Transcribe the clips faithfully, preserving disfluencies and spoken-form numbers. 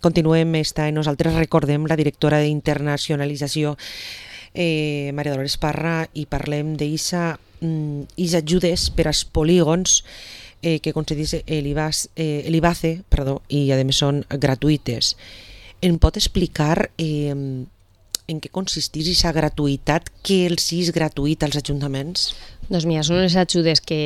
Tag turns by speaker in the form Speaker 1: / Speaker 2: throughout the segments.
Speaker 1: Continuem, està, nosaltres recordem la directora d'internacionalització, eh, Maria Dolores Parra, i parlem d'Isa mm, ajudes per als polígons eh, que concedís l'Ibace, eh, perdó, i a més són gratuïtes. Em pot explicar eh, en què consistís aquesta gratuïtat, què els és gratuït als ajuntaments?
Speaker 2: Doncs mira, són les ajudes que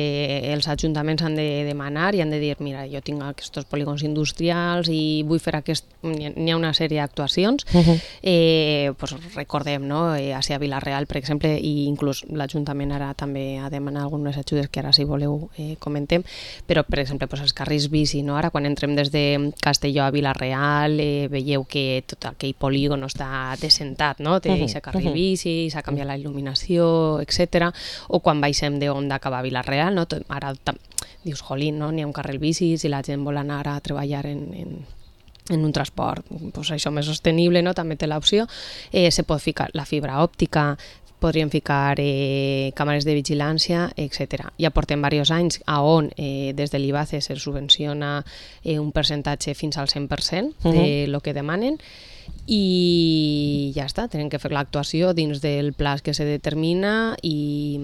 Speaker 2: els ajuntaments han de demanar i han de dir, mira, jo tinc aquests polígons industrials i vull fer aquest... N'hi ha una sèrie d'actuacions. Uh-huh. eh, pues recordem, no? Eh, a Vilareal, per exemple, i inclús l'Ajuntament ara també ha demanat algunes ajudes que ara, si voleu, eh, comentem, però, per exemple, pues, els carrils bici, no? Ara, quan entrem des de Castelló a Vilareal, eh, veieu que tot aquell polígon està descentat, no? Té aquest uh-huh. carril bici, s'ha canviat la il·luminació, etcètera. O quan baixem de Onda cap a Vilareal, no? Ara dius, jolín, no? N'hi ha un carril bici, si la gent vol anar a treballar en, en, en un transport pues això més sostenible, no? També té l'opció. Eh, se pot ficar la fibra òptica, podríem ficar eh, càmeres de vigilància, etcètera. Ja portem diversos anys a on eh, des de l'Ibace se subvenciona eh, un percentatge fins al cent per cent de uh-huh. lo que demanen, i ja està, tenen que fer l'actuació dins del pla que se determina i,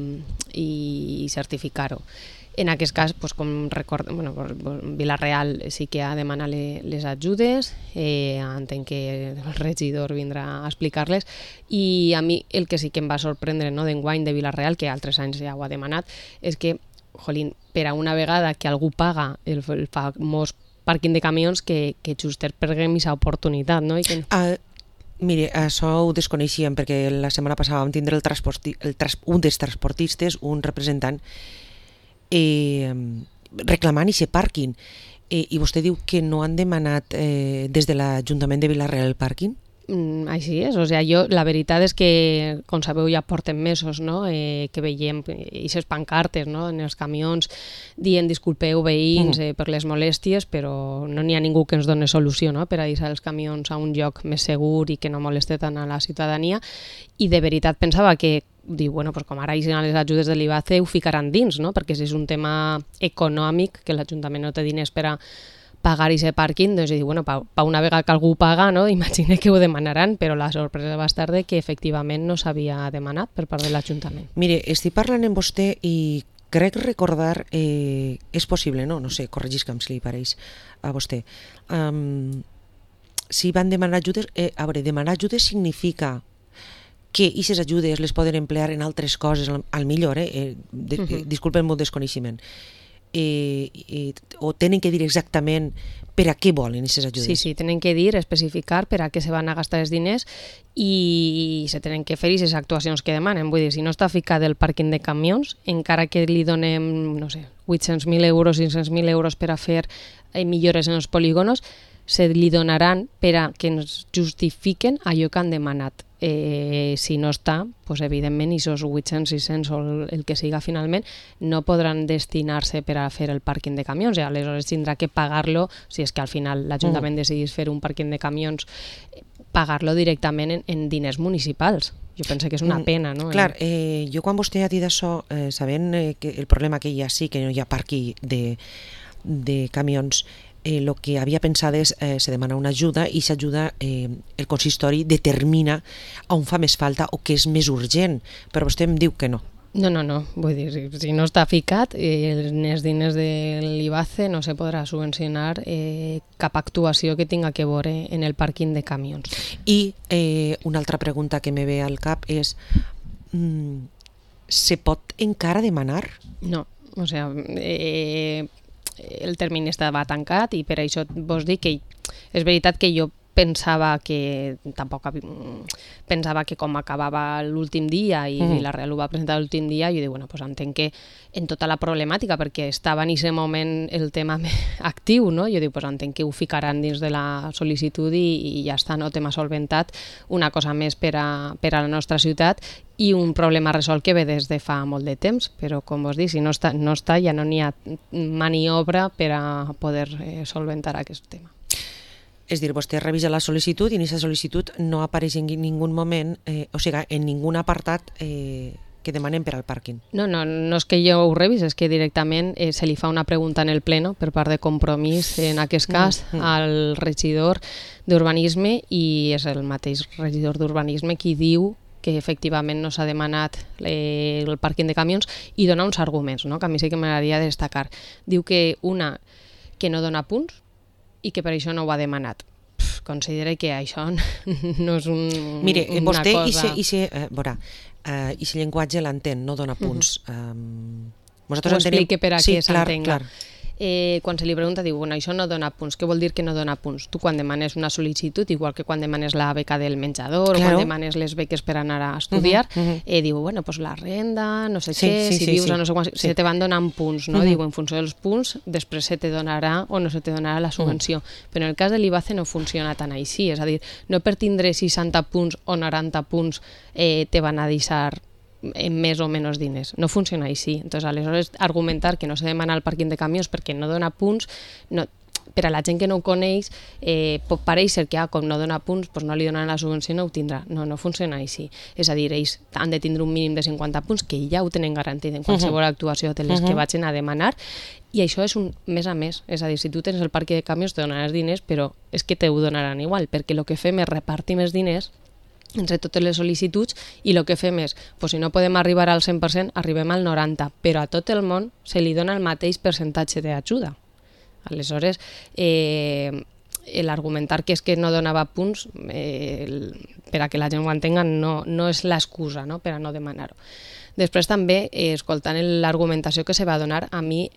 Speaker 2: i certificar-ho. En aquest cas, doncs, com recordem, bueno, Vilareal sí que ha demanat les ajudes, eh, entenc que el regidor vindrà a explicar-les, i a mi el que sí que em va sorprendre, no, d'enguany de Vilareal, que altres anys ja ho ha demanat, és que, jolín, per a una vegada que algú paga el, el famós pàrquing de camions, que, que juster perguem aquesta oportunitat, no? I que...
Speaker 1: Uh, mire, això ho desconeixíem, perquè la setmana passada vam tindre el transporti, el trans, un dels transportistes, un representant, eh, reclamant aquest pàrquing. Eh, I vostè diu que no han demanat eh, des de l'Ajuntament de Vilareal el pàrquing?
Speaker 2: Mm, així és, o sigui, jo, la veritat és que, com sabeu, ja porten mesos, no? eh, que veiem aquestes pancartes, no? En els camions dient disculpeu veïns eh, per les molèsties, però no n'hi ha ningú que ens doni solució, no? Per a deixar els camions a un lloc més segur i que no moleste tant a la ciutadania, i de veritat pensava que diu, bueno, pues com ara hi les ajudes de l'Ibace ho ficaran dins, no? Perquè si és un tema econòmic, que l'Ajuntament no té diners per a pagar aquest pàrquing, doncs diu, bueno, pa, pa una vegada que algú paga, no? Imagina que ho demanaran, però la sorpresa va estar de que efectivament no s'havia demanat per part de l'Ajuntament.
Speaker 1: Mire, estic parlant amb vostè i crec recordar, eh, és possible, no? No sé, corregisca'm si li pareix a vostè. Um, si van demanar ajudes, eh, a veure, demanar ajudes significa que aquestes ajudes les poden emplear en altres coses, al, al millor, eh? eh de, uh-huh. disculpen el desconeixement. Eh, eh, o tenen que dir exactament per a què volen aquestes ajudes.
Speaker 2: Sí, sí, tenen que dir, especificar per a què se van a gastar els diners i se tenen que fer aquestes actuacions que demanen. Vull dir, si no està ficat el pàrquing de camions, encara que li donem, no sé, vuit-cents mil euros, cinc-cents mil euros per a fer eh, millores en els polígonos, se li donaran per a que ens justifiquen allò que han demanat. Eh, si no està, pues, evidentment, aquests vuit-cents, sis-cents o el, el que siga finalment, no podran destinar-se per a fer el pàrquing de camions, i aleshores tindrà que pagar-lo, si és que al final l'Ajuntament mm. decidís fer un pàrquing de camions, pagar-lo directament en, en diners municipals. Jo penso que és una pena, no?
Speaker 1: Clar, eh, jo quan vostè ha dit això, eh, sabent eh, que el problema que hi ha sí, que no hi ha pàrquing de, de camions, el eh, que havia pensat és eh, se demana una ajuda i s'ajuda, eh, el consistori determina on fa més falta o què és més urgent, però vostè em diu que no.
Speaker 2: No, no, no, vull dir, si, si no està ficat, eh, els diners de l'Ibace no se podrà subvencionar eh, cap actuació que tinga que veure en el pàrquing de camions.
Speaker 1: I eh, una altra pregunta que me ve al cap és, mm, se pot encara demanar?
Speaker 2: No, o sigui, eh, el termini estava tancat i per això vos dic que és veritat que jo pensava que tampoc pensava que com acabava l'últim dia i mm. la Real ho va presentar l'últim dia, jo dic, bueno, pues entenc que en tota la problemàtica, perquè estava en aquest moment el tema actiu, no? Jo dic, pues entenc que ho ficaran dins de la sol·licitud i, i ja està, no? Tema solventat, una cosa més per a, per a la nostra ciutat i un problema resolt que ve des de fa molt de temps, però com vos dic, si no està, no està ja no n'hi ha maniobra per a poder eh, solventar aquest tema.
Speaker 1: És dir, vostè revisa la sol·licitud i en aquesta sol·licitud no apareix en ningú moment, eh, o sigui, en ningun apartat eh, que demanen per al pàrquing.
Speaker 2: No, no, no és que jo ho revis, és que directament eh, se li fa una pregunta en el pleno per part de Compromís, en aquest cas, mm, mm. al regidor d'Urbanisme, i és el mateix regidor d'Urbanisme qui diu que efectivament no s'ha demanat eh, el pàrquing de camions, i dona uns arguments, no?, que a mi sí que m'agradaria destacar. Diu que una, que no dona punts i que per això no ho ha demanat. Pff, considera que això no és un,
Speaker 1: Mire,
Speaker 2: una
Speaker 1: vostè
Speaker 2: cosa...
Speaker 1: Mire, vostè, eh, veurà, uh, i si llenguatge l'entén, no dona punts. Uh -huh. um,
Speaker 2: Ho explique per a
Speaker 1: sí,
Speaker 2: que s'entenga. Eh, quan se li pregunta, diu, bueno, això no dona punts. Què vol dir que no dona punts? Tu quan demanes una sol·licitud, igual que quan demanes la beca del menjador, claro, o quan demanes les beques per anar a estudiar, uh -huh, uh -huh. eh, diu, bueno, pues la renda, no sé sí, què, sí, si sí, vius sí. a no sé quan, sí. se te van donant punts, no? Uh -huh. Diu, en funció dels punts, després se te donarà o no se te donarà la subvenció. Uh -huh. Però en el cas de l'I B A C E no funciona tan així, és a dir, no per tindre seixanta punts o noranta punts eh, te van a deixar en més o menys diners. No funciona així. Entonces, aleshores, argumentar que no se demana el pàrquing de camions perquè no dona punts, no, per a la gent que no ho coneix, eh, pot parèixer que ah, com no dona punts, doncs no li donen la subvenció, no ho tindrà. No, no funciona així. És a dir, ells han de tindre un mínim de cinquanta punts, que ja ho tenen garantit en qualsevol uh-huh. actuació de les uh-huh. que vagin a demanar, i això és un mes a més. És a dir, si tu tens el pàrquing de camions te donaràs diners, però és que te ho donaran igual, perquè el que fem és repartir més diners entre totes les sol·licituds, i el que fem és, pues, si no podem arribar al cent per cent, arribem al noranta per cent, però a tot el món se li dona el mateix percentatge d'ajuda. Aleshores, eh, l'argumentar que és que no donava punts, eh, el, per a que la gent ho entenga, no, no és l'excusa, no?, per a no demanar-ho. Després també, eh, escoltant l'argumentació que se va donar, a mi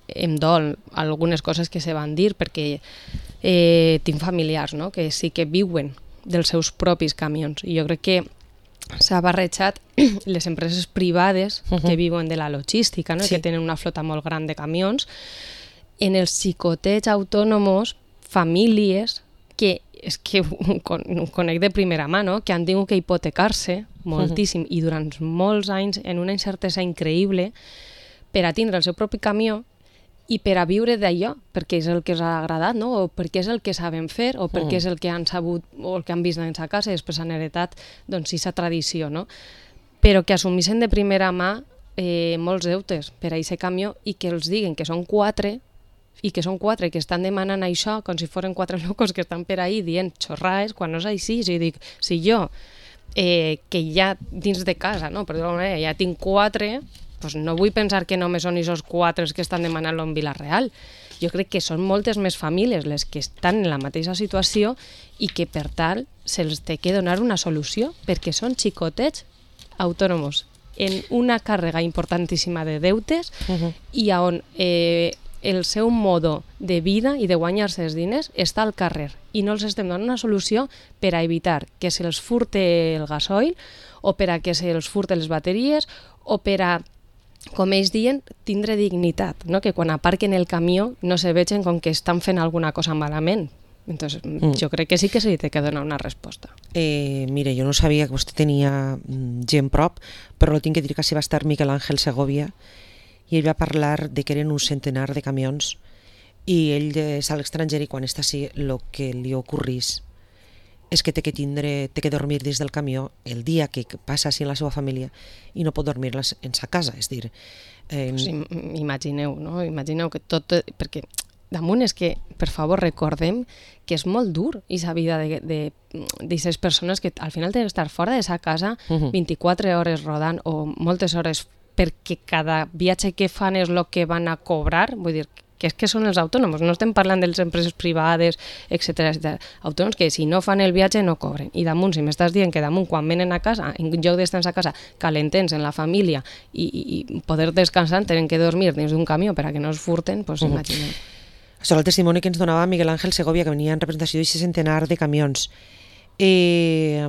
Speaker 2: em dol algunes coses que se van dir, perquè eh, tinc familiars, no?, que sí que viuen dels seus propis camions, i jo crec que s'ha barrejat les empreses privades uh-huh. que viuen de la logística, no? Sí. Que tenen una flota molt gran de camions, en els xicotets autònoms, famílies que és que ho, ho conec de primera mà, no? Que han tingut que hipotecar-se moltíssim uh-huh. i durant molts anys en una incertesa increïble per a tindre el seu propi camió i per a viure d'allò, perquè és el que els ha agradat, no? O perquè és el que saben fer, o perquè mm. és el que han sabut o el que han vist en sa casa i després han heretat, doncs, aquesta tradició, no? Però que assumissin de primera mà eh, molts deutes per a aquest camió i que els diguen que són quatre i que són quatre que estan demanant això com si foren quatre locos que estan per ahí dient xorrades, quan no és així. O sigui, dic, si jo, eh, que ja dins de casa, no? Per dir-ho manera, ja tinc quatre... Pues no vull pensar que només són aquests quatre que estan demanant-lo en Vila-real. Jo crec que són moltes més famílies les que estan en la mateixa situació i que, per tal, se'ls té que donar una solució, perquè són xicotets autònoms en una càrrega importantíssima de deutes uh-huh. i on eh, el seu modo de vida i de guanyar-se els diners està al carrer i no els estem donant una solució per a evitar que se'ls furte el gasoil o per a que se'ls furte les bateries o per a, com ells diuen, tindre dignitat, no? Que quan aparquen el camió no se vegen com que estan fent alguna cosa malament. Entonces, mm. jo crec que sí que se li té que donar una resposta.
Speaker 1: Eh, mire, jo no sabia que vostè tenia gent prop, però tinc que dir que sí va estar Miquel Ángel Segovia i ell va parlar de que eren un centenar de camions i ell és a l'estranger i quan està així el que li ocorrís és que té que tindre, té que dormir dins del camió el dia que passa així en la seva família i no pot dormir en sa casa, és dir...
Speaker 2: Eh... Pues imagineu, no? Imagineu que tot... Perquè damunt és que, per favor, recordem que és molt dur aquesta vida d'aquestes persones que al final tenen que estar fora de sa casa vint-i-quatre hores rodant o moltes hores perquè cada viatge que fan és el que van a cobrar, vull dir, que és que són els autònoms, no estem parlant de les empreses privades, etcètera, etcètera. Autònoms que si no fan el viatge no cobren. I damunt, si m'estàs dient que damunt quan venen a casa, en lloc d'estar a casa calentents en la família i, i poder descansar, tenen que dormir dins d'un camió per a que no es furten, doncs uh-huh. imaginem.
Speaker 1: Això és el testimoni que ens donava Miguel Ángel Segovia, que venia en representació d'aquest centenar de camions. Eh,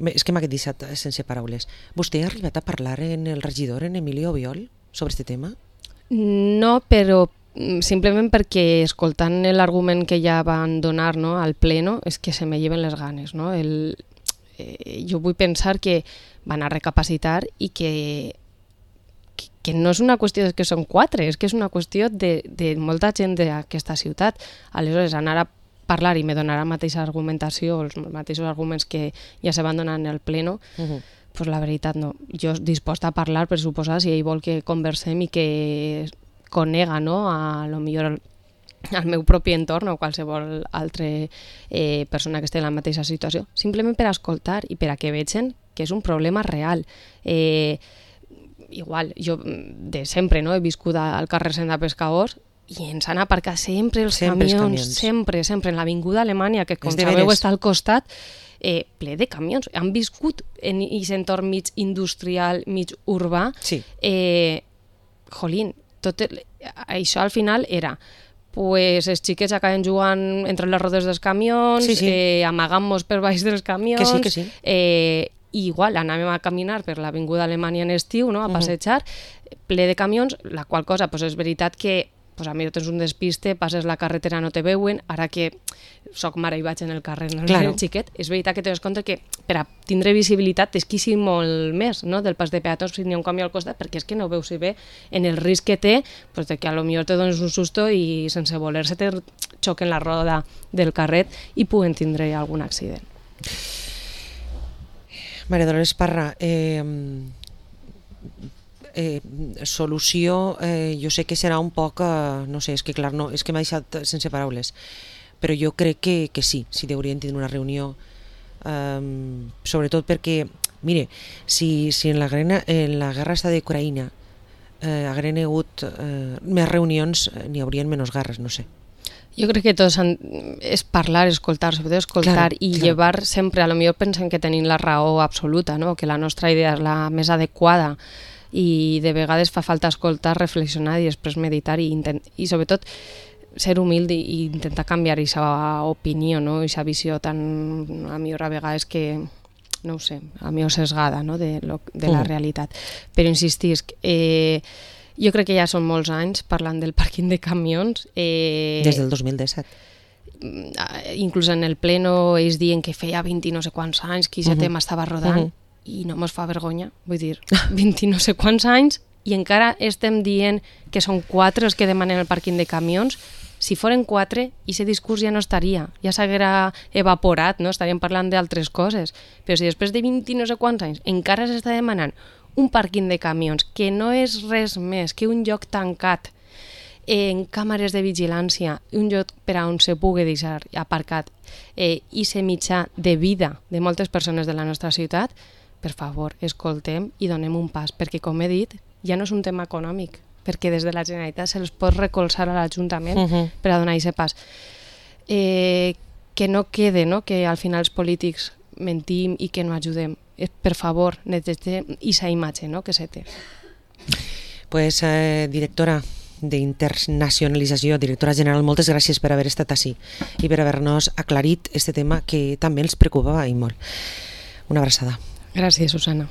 Speaker 1: és que m'ha deixat sense paraules. Vostè ha arribat a parlar en el regidor, en Emilio Obiol, sobre aquest tema?
Speaker 2: No, però simplement perquè escoltant l'argument que ja van donar, no, al pleno és que se me lleven les ganes, no? El, eh, jo vull pensar que van a recapacitar i que, que, que no és una qüestió que són quatre, és que és una qüestió de, de molta gent d'aquesta ciutat. Aleshores, anar a parlar i me donar la mateixa argumentació, els mateixos arguments que ja se van donar en el pleno, uh-huh. pues la veritat no. Jo disposta a parlar, per suposar, si ell vol que conversem i que conega, no?, a lo millor el, al meu propi entorn o qualsevol altra eh, persona que estigui en la mateixa situació, simplement per escoltar i per a que vegin que és un problema real. Eh, igual, jo de sempre, no?, he viscut al carrer Senda Pescadors i ens han aparcat sempre els
Speaker 1: sempre
Speaker 2: camions,
Speaker 1: els camions,
Speaker 2: sempre, sempre, en l'avinguda Alemanya, que com sabeu està al costat, eh, ple de camions. Han viscut en aquest entorn mig industrial, mig urbà.
Speaker 1: Sí.
Speaker 2: Eh, jolín, tot el, això al final era pues els xiquets acaben jugant entre les rodes dels camions, sí, sí. Eh, amagant-nos per baix dels camions,
Speaker 1: que sí, que sí.
Speaker 2: Eh, i igual anàvem a caminar per l'avinguda Alemanya en estiu, no?, a passejar, uh-huh. ple de camions, la qual cosa pues, és veritat que pues, a mi tens un despiste, passes la carretera, no te veuen, ara que soc mare i vaig en el carrer, no claro. El xiquet, és veritat que tens compte que per a tindre visibilitat tens que ser molt més, no?, del pas de peatons si n'hi ha un camió al costat, perquè és que no veus si bé en el risc que té, pues, de que a lo millor te dones un susto i sense voler-se te xoquen la roda del carret i puguen tindre algun accident.
Speaker 1: Maria Dolores Parra, eh, eh, solució, eh, jo sé que serà un poc, eh, no sé, és que clar, no, és que m'ha deixat sense paraules, però jo crec que, que sí, sí deurien tenir una reunió, eh, sobretot perquè, mire, si, si en, la guerra, en la guerra està d'Ucraïna eh, hagueren hagut eh, més reunions, eh, n'hi haurien menys guerres, no sé.
Speaker 2: Jo crec que tots han, és parlar, escoltar, sobretot escoltar claro, i claro. Llevar sempre, a lo millor pensen que tenim la raó absoluta, no? Que la nostra idea és la més adequada i de vegades fa falta escoltar, reflexionar i després meditar i, intent, i sobretot ser humil i, i intentar canviar aquesta opinió, no? Aquesta visió tan, a millor a vegades que, no ho sé, a millor sesgada, no? de, lo, de la mm. realitat. Però insistisc, eh, jo crec que ja són molts anys parlant del pàrquing de camions. Eh,
Speaker 1: Des del dos mil disset.
Speaker 2: Inclús en el pleno ells diuen que feia vint i no sé quants anys que aquest uh-huh. tema estava rodant uh-huh. i no mos fa vergonya, vull dir, vint i no sé quants anys i encara estem dient que són quatre els que demanen el pàrquing de camions. Si foren quatre, aquest discurs ja no estaria, ja s'haguera evaporat, no? Estaríem parlant d'altres coses. Però si després de vint i no sé quants anys encara s'està demanant un pàrquing de camions, que no és res més que un lloc tancat en càmeres de vigilància, un lloc per a on se pugui deixar aparcat eh, i ser mitjà de vida de moltes persones de la nostra ciutat, per favor, escoltem i donem un pas, perquè com he dit, ja no és un tema econòmic, perquè des de la Generalitat se'ls pot recolzar a l'Ajuntament uh-huh. per a donar aquest pas. Eh, que no quede, no?, que al final els polítics mentim i que no ajudem. Per favor, netegem aquesta imatge, no?, que se té.
Speaker 1: Pues, eh, directora d'internacionalització, directora general, moltes gràcies per haver estat ací i per haver-nos aclarit este tema que també els preocupava i molt. Una abraçada.
Speaker 2: Gràcies, Susana.